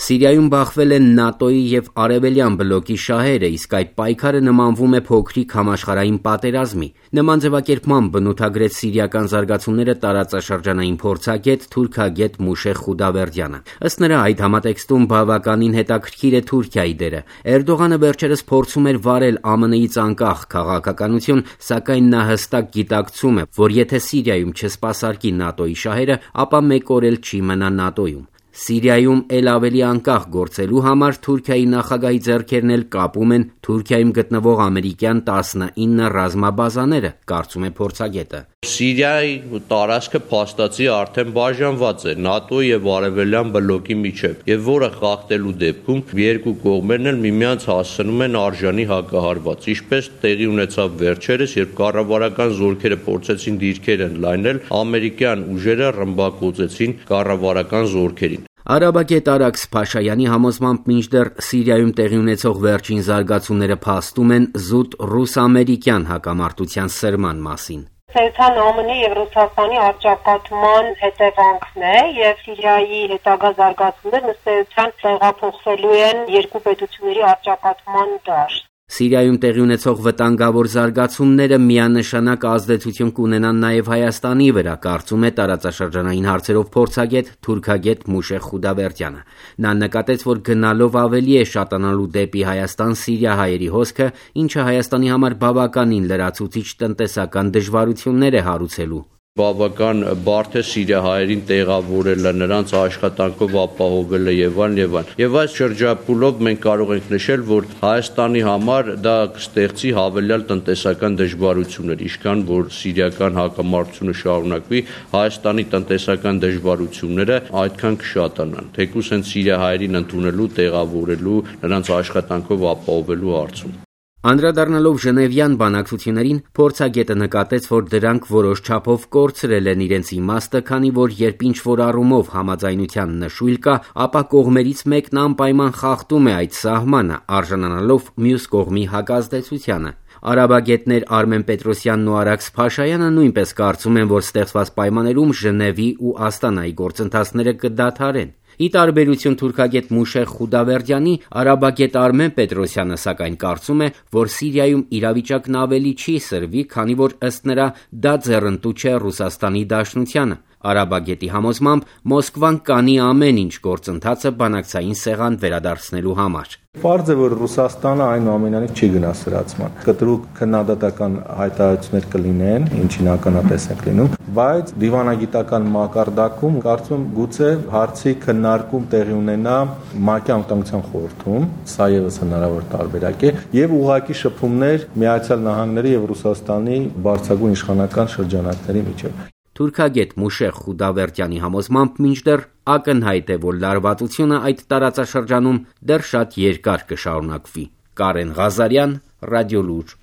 Սիրիայում բախվել են ՆԱՏՕ-ի և Արևելյան բլոկի շահերը, իսկ այդ պայքարը նմանվում է փոքրիկ համաշխարհային պատերազմի։ Նման ձևակերպմամբ բնութագրեց սիրիական զարգացումները տարածաշրջանային փորձագետ, թուրքագետ Մուշե Խուդավերդյանը։ Ըստ նրա, այդ համատեքստում բավականին հետաքրքիր է Թուրքիայի դերը։ Էրդողանը վերջերս փորձում էր վարել ԱՄՆ-ից անկախ քաղաքականություն, սակայն նա հստակ գիտակցում է, որ եթե Սիրիայում չսպասարկի ՆԱՏՕ-ի շահերը, ապա մեկ օր էլ չի մնա ՆԱՏՕ-ում։ Սիրիայում էլ ավելի անկախ գործելու համար Թուրքիայի նախագահի ձեռքերն էլ կապում են Թուրքիայում գտնվող ամերիկյան 19 ռազմաբազաները, կարծում է փորձագետը։ Սիրիայի տարածքը փաստացի արդեն բաժանված է ՆԱՏՕ եւ Արևելյան բլոկի միջև, եւ որը խախտելու դեպքում երկու կողմերն էլ միմյանց հասցնում են արժանի հակահարված, ինչպես տեղի ունեցավ վերջերս, երբ կառավարական զորքերը փորձեցին դիրքեր ընդլայնել, ամերիկյան ուժերը ռմբակոծեցին կառավարական զորքերին։ Արաբագետ Արաքս Փաշայանի համոզմամբ մինչդեռ Սիրիայում տեղի ունեցող վերջին զարգացումները փաստում են զուտ ռուս-ամերիկյան հակամարտության սրման մասին։ Սերթան ԱՄՆ-ի եւ Ռուսաստանի առճակատման հետևանքն է եւ Սիրիայի հետագա զարգացումներն ըստ էության տեղափոխվելու են երկու պետությունների առճակատման դաշտ։ Սիրիայում տեղի ունեցող վտանգավոր զարգացումները միանշանակ ազդեցություն կունենան նաև Հայաստանի վրա, կարծում է տարածաշրջանային հարցերով փորձագետ, թուրքագետ Մուշե Խուդավերդյանը։ Նա նկատեց, որ գնալով ավելի է շատանալու դեպի Հայաստան-Սիրիա հայերի հոսքը, ինչը Հայաստանի համար բավականին լրացուցիչ տնտեսական դժվարություններ է հարուցելու։ Բավական բարդ է սիրիահայերին տեղավորելը, նրանց աշխատանքով ապահովելը եւ այլն։ Եվ այս շրջափուլով մենք կարող ենք նշել, որ Հայաստանի համար դա կստեղծի հավելյալ տնտեսական դժվարություններ, ինչքան որ սիրիական հակամարտությունը շարունակվի, Հայաստանի տնտեսական դժվարությունները այդքան կշատանան, թեկուզ հենց սիրիահայերին ընդունելու, տեղավորելու, նրանց աշխատանքով ապահովելու հարցում։ Անդրադառնալով Ժնևյան բանակցություններին, փորձագետը նկատեց, որ դրանք որոշ չափով կորցրել են իրենց իմաստը, քանի որ երբ ինչ-որ առումով համաձայնության նշույլ կա, ապա կողմերից մեկն անպայման խախտում է այդ սահմանը, արժանանալով մյուս կողմի հակազդեցությանը։ Արաբագետներ Արմեն Պետրոսյանն ու Արաքս Փաշայանը նույնպես կարծում են, որ ստեղծված պայմաններում Ժնևի ու Աստանայի գործընթացները կդադարեն։ Ի տարբերություն թուրքագետ Մուշե Խուդավերդյանի, արաբագետ Արմեն Պետրոսյանը սակայն կարծում է, որ Սիրիայում իրավիճակն ավելի չի սրվի, քանի որ ըստ նրա դա ձեռնտու չէ Ռուսաստանի Դաշնությանը։ Արաբագետի համոզմամբ Մոսկվան կանի ամեն ինչ գործընթացը բանակցային սեղան վերադարձնելու համար։ Պարզ է, որ Ռուսաստանը այնուամենայնիվ չի գնա սրացման։ Կտրուկ քննադատական հայտարարություններ կլինեն, ինչին ականատես ենք լինում, բայց դիվանագիտական մակարդակում կարծում եմ գուցե հարցի քննարկում տեղի ունենա ՄԱԿ-ի անվտանգության խորհրդում, սա եւս հնարավոր տարբերակ է, եւ ուղղակի շփումներ Միացյալ Նահանգների եւ Ռուսաստանի բարձրագույն իշխանական շրջանակների միջեւ։ Թուրքագետ Մուշե Խուդավերդյանի համոզմամբ մինչդեռ ակնհայտ է, որ լարվածությունը այդ տարածաշրջանում դեռ շատ երկար կշարունակվի։ Կարեն Ղազարյան, Ռադիոլուր։